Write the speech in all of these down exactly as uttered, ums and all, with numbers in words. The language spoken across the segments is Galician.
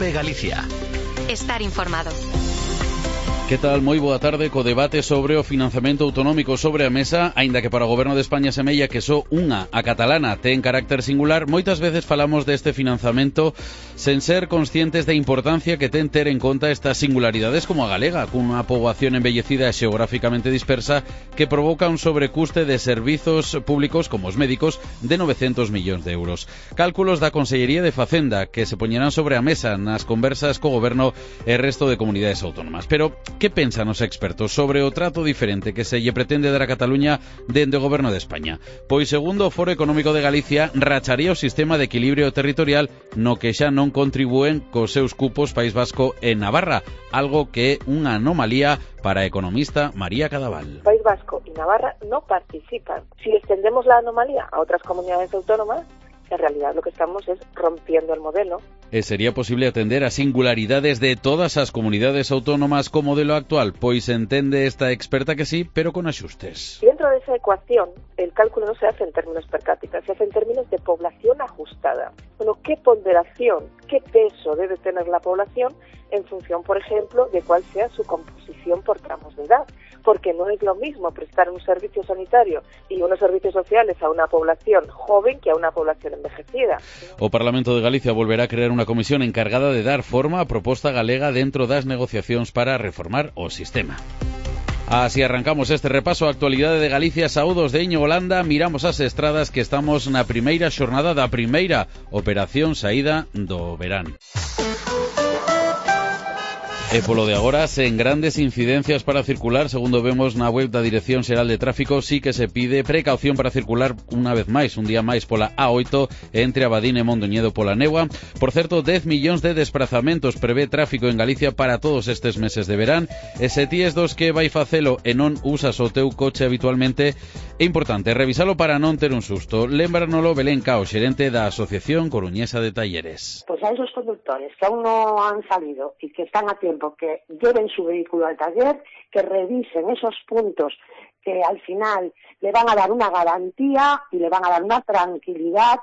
COPE Galicia. Estar informado. Que tal? Moi boa tarde co debate sobre o financiamento autonómico sobre a mesa, aínda que para o Goberno de España semella que só unha, a catalana, ten carácter singular. Moitas veces falamos deste financiamento sen ser conscientes da importancia que ten ter en conta estas singularidades como a galega, cunha poboación envellecida e xeográficamente dispersa que provoca un sobrecuste de servizos públicos como os médicos de novecentos millóns de euros. Cálculos da Consellería de Facenda que se poñerán sobre a mesa nas conversas co Goberno e resto de comunidades autónomas. Pero que pensan os expertos sobre o trato diferente que se lle pretende dar a Cataluña dende o Goberno de España? Pois segundo o Foro Económico de Galicia, racharía o sistema de equilibrio territorial no que xa non contribúen cos seus cupos País Vasco e Navarra, algo que é unha anomalía para a economista María Cadaval. País Vasco y Navarra no participan. Si extendemos la anomalía a otras comunidades autónomas, en realidad lo que estamos es rompiendo el modelo. E sería posible atender a singularidades de todas as comunidades autónomas co modelo actual? Pois entende esta experta que sí, pero con axustes. Dentro de esa ecuación, el cálculo no se hace en términos per cápita, se hace en términos de población ajustada. Bueno, ¿qué ponderación, qué peso debe tener la población en función, por ejemplo, de cuál sea su composición por tramos de edad? Porque no es lo mismo prestar un servicio sanitario y unos servicios sociales a una población joven que a una población envejecida. O Parlamento de Galicia volverá a crear unha comisión encargada de dar forma á proposta galega dentro das negociacións para reformar o sistema. Así arrancamos este repaso á actualidade de Galicia. Saúdos de Íñigo Landa, miramos as estradas que estamos na primeira xornada da primeira operación saída do verán. E polo de agora, sen grandes incidencias para circular, segundo vemos na web da Dirección Xeral de Tráfico, sí que se pide precaución para circular unha vez máis, un día máis pola A oito entre Abadín e Mondoñedo pola Negua. Por certo, dez millóns de desplazamentos prevé tráfico en Galicia para todos estes meses de verán, e se ti es dos que vai facelo e non usas o teu coche habitualmente, é importante revisalo para non ter un susto. Lémbranolo Belén Cao, xerente da Asociación Coruñesa de Talleres. Pues a esos conductores que aún no han salido y que están a tiempo, que lleven su vehículo al taller, que revisen esos puntos que al final le van a dar una garantía y le van a dar una tranquilidad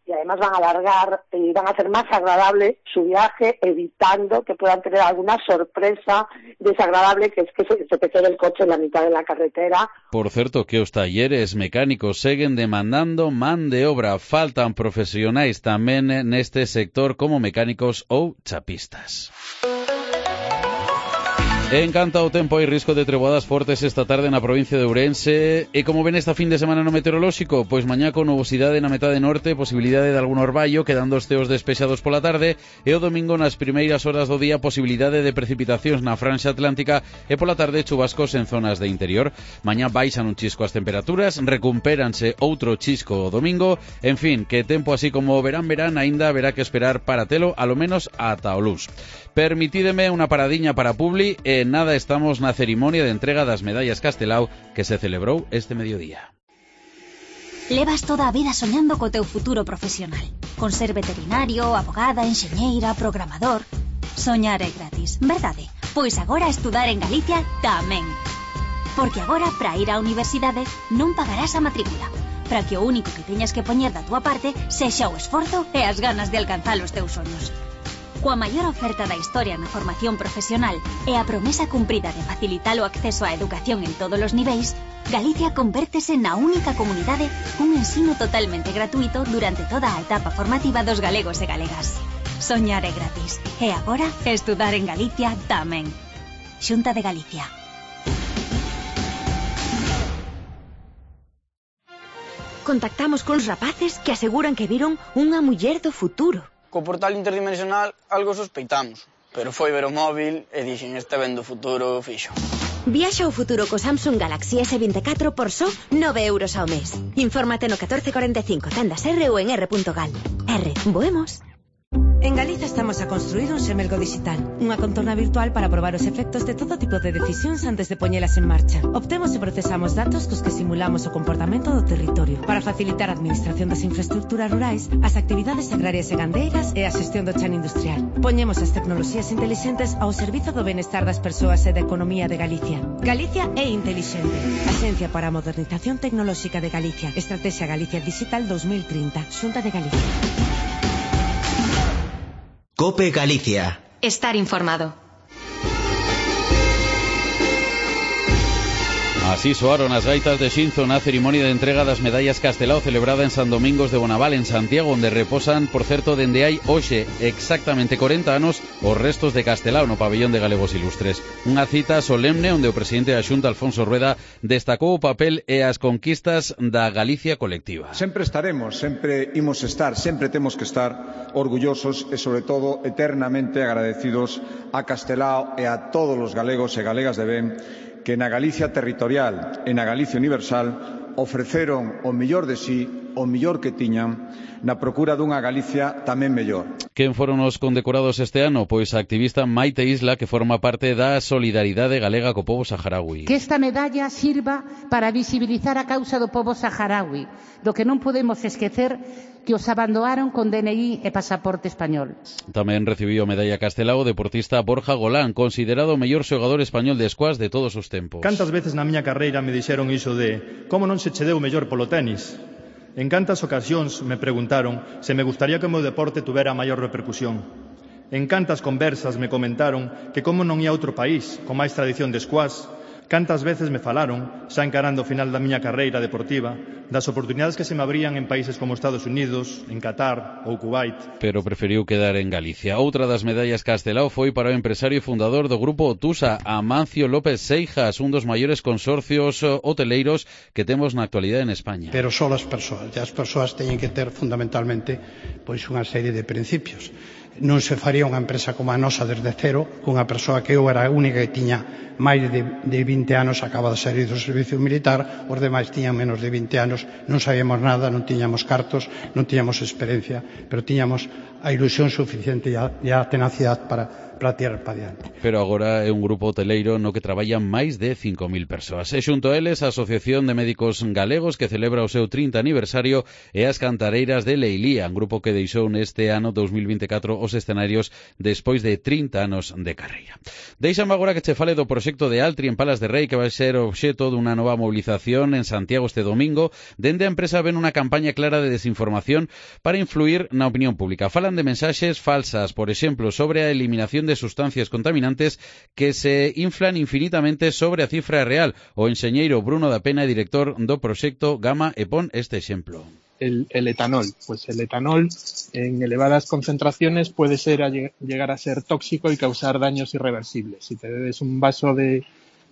y además van a alargar y van a hacer más agradable su viaje, evitando que puedan tener alguna sorpresa desagradable, que es que se, se te quede el coche en la mitad de la carretera. Por certo, que os talleres mecánicos seguen demandando man de obra. Faltan profesionais tamén neste sector como mecánicos ou chapistas. En canto ao tempo, hai risco de treboadas fortes esta tarde na provincia de Ourense. E como ven esta fin de semana no meteorolóxico? Pois mañá con nubosidade na metade norte, posibilidade de algún orballo, quedando os ceos despexados pola tarde, e o domingo nas primeiras horas do día posibilidade de precipitacións na franxa atlántica e pola tarde chubascos en zonas de interior. Mañá baixan un chisco as temperaturas, recupéranse outro chisco o domingo. En fin, que tempo así como verán-verán aínda haberá que esperar para telo, alo menos ata o luns. Permitídeme unha paradiña para Publi e nada, estamos na cerimonia de entrega das medallas Castelao que se celebrou este mediodía. Levas toda a vida soñando co teu futuro profesional, con ser veterinario, abogada, enxeñeira, programador. Soñar é gratis, verdade? Pois agora estudar en Galicia tamén. Porque agora, para ir á universidade, non pagarás a matrícula, para que o único que teñas que poñer da túa parte sexa o esforzo e as ganas de alcanzar os teus soños. Coa maior oferta da historia na formación profesional e a promesa cumprida de facilitar o acceso á educación en todos os niveis, Galicia convértese na única comunidade cun ensino totalmente gratuito durante toda a etapa formativa dos galegos e galegas. Soñar é gratis. E agora, estudar en Galicia tamén. Xunta de Galicia. Contactamos con rapaces que aseguran que viron unha muller do futuro. Co portal interdimensional algo sospeitamos, pero foi ver o móvil e dixen este vendo o futuro fixo. Viaxa ao futuro co Samsung Galaxy ese veinticuatro por só nove euros ao mes. Infórmate no catorce cuarenta e cinco, tendas R ou en R punto gal. R, voemos. En Galiza estamos a construir un xemelgo digital, unha contorna virtual para probar os efectos de todo tipo de decisións antes de poñelas en marcha. Obtemos e procesamos datos cos que simulamos o comportamento do territorio para facilitar a administración das infraestructuras rurais, as actividades agrarias e gandeiras e a xestión do chan industrial. Poñemos as tecnoloxías intelixentes ao servizo do benestar das persoas e da economía de Galicia. Galicia é intelixente. Axencia para a Modernización Tecnolóxica de Galicia. Estrategia Galicia Digital dos mil trinta. Xunta de Galicia. COPE Galicia. Estar informado. Así soaron as gaitas de Xinzo na cerimonia de entrega das medallas Castelao celebrada en San Domingos de Bonaval, en Santiago, onde reposan, por certo, dende hai hoxe exactamente corenta anos os restos de Castelao no pabellón de Galegos Ilustres. Unha cita solemne onde o presidente da Xunta, Alfonso Rueda, destacou o papel e as conquistas da Galicia colectiva. Sempre estaremos, sempre imos estar, sempre temos que estar orgullosos e, sobre todo, eternamente agradecidos a Castelao e a todos os galegos e galegas de ben que na Galicia territorial e na Galicia universal ofreceron o mellor de sí, o mellor que tiñan, na procura dunha Galicia tamén mellor. Quen foron os condecorados este ano? Pois a activista Maite Isla, que forma parte da solidaridade galega co pobo saharaui. Que esta medalla sirva para visibilizar a causa do pobo saharaui, do que non podemos esquecer que os abandonaron con D N I e pasaporte español. Tamén recibiu a medalla Castelao o deportista Borja Golán, considerado o mellor xogador español de squash de todos os tempos. Cantas veces na miña carreira me dixeron iso de como non se che deu mellor polo tenis? En cantas ocasións me preguntaron se me gustaría que o meu deporte tuvera maior repercusión. En cantas conversas me comentaron que como non ia outro país con máis tradición de squash. Cantas veces me falaron, xa encarando o final da miña carreira deportiva, das oportunidades que se me abrían en países como Estados Unidos, en Qatar ou Kuwait. Pero preferiu quedar en Galicia. Outra das medallas Castelao foi para o empresario e fundador do grupo Otusa, Amancio López Seijas, un dos maiores consorcios hoteleiros que temos na actualidade en España. Pero só as persoas, e as persoas teñen que ter fundamentalmente pois unha serie de principios. Non se faría unha empresa como a nosa desde cero, cunha persoa que eu era a única que tiña máis de, de vinte anos, acaba de sair do servicio militar, os demais tiñan menos de vinte anos, non sabíamos nada, non tiñamos cartos, non tiñamos experiencia, pero tiñamos a ilusión suficiente e a, e a tenacidade para para tirar para diante. Pero agora é un grupo hoteleiro no que traballan máis de cinco mil persoas. E xunto a eles, a Asociación de Médicos Galegos, que celebra o seu trinta aniversario, e as Cantareiras de Leilía, un grupo que deixou neste ano dos mil vinte e catro os escenarios despois de trinta anos de carreira. Deixame agora que che fale do proxecto de Altri en Palas de Rei, que vai ser obxeto dunha nova movilización en Santiago este domingo. Dende a empresa ven unha campaña clara de desinformación para influir na opinión pública. Falan de mensaxes falsas, por exemplo, sobre a eliminación de sustancias contaminantes que se inflan infinitamente sobre a cifra real. O enxeñeiro Bruno da Pena, director do proxecto Gama, e pon este exemplo. El, el etanol, pues el etanol en elevadas concentraciones puede ser a llegar a ser tóxico y causar daños irreversibles. Si te bebes un vaso de,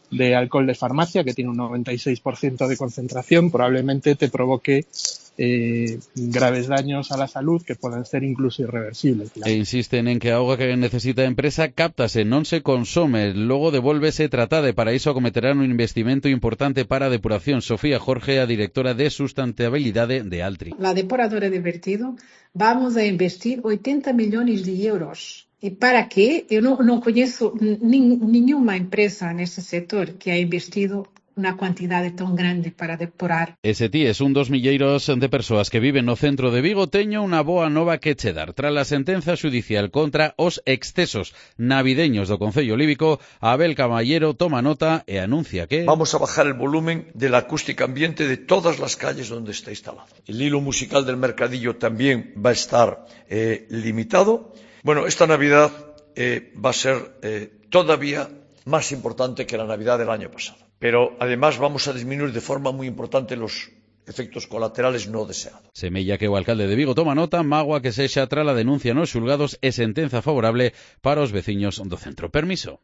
de alcohol de farmacia que tiene un noventa y seis por ciento de concentración, probablemente te provoque Eh, graves daños a la salud que pueden ser incluso irreversibles. E insisten en que a auga que necesita a empresa cáptase, non se consome, logo devolvese tratada, e para iso acometerán un investimento importante para a depuración. Sofía Jorge, a directora de sustentabilidade de Altri. La depuradora de vertido vamos a investir oitenta millóns de euros. E para qué? Eu non, non coñezo nin, nenhuma empresa nesse sector que ha investido unha cuantidade tan grande para depurar. Ese ti es un dos milleiros de persoas que viven no centro de Vigo. Teño unha boa nova que che dar. Tras a sentenza judicial contra os excesos navideños do Concello Líbico, Abel Caballero toma nota e anuncia que vamos a bajar el volumen de la acústica ambiente de todas las calles donde está instalado. El hilo musical del mercadillo también va a estar eh, limitado. Bueno, esta Navidad eh, va a ser eh, todavía más importante que la Navidad del año pasado. Pero además vamos a disminuir de forma muy importante los efectos colaterales no deseados. Semella que o alcalde de Vigo toma nota, mágoa que sexa tras a denuncia nos xulgados e sentenza favorable para os veciños do centro. Permiso.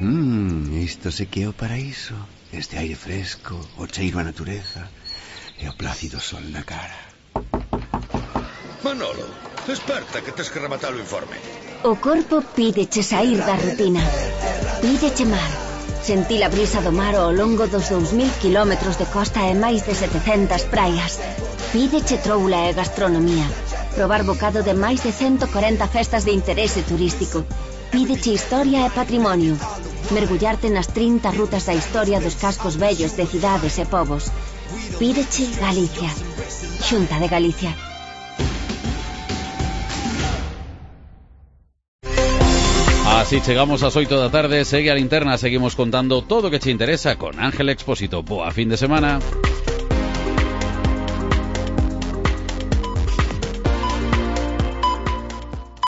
Mmm, isto se que é o paraíso. Este aire fresco, o cheiro a natureza e o plácido sol na cara. Manolo, desperta que tes que rematar o informe. O corpo pídeche sair da rutina. Pídeche mar. Sentir a brisa do mar ao longo dos dous mil kilómetros de costa e máis de setecentas praias. Pídeche troula e gastronomía. Probar bocado de máis de ciento corenta festas de interese turístico. Pídeche historia e patrimonio. Mergullarte nas trinta rutas da historia dos cascos vellos de cidades e povos. Pídeche Galicia. Xunta de Galicia. Así chegamos ás oito da tarde, segue a linterna, seguimos contando todo o que che interesa con Ángel Expósito. Boa fin de semana.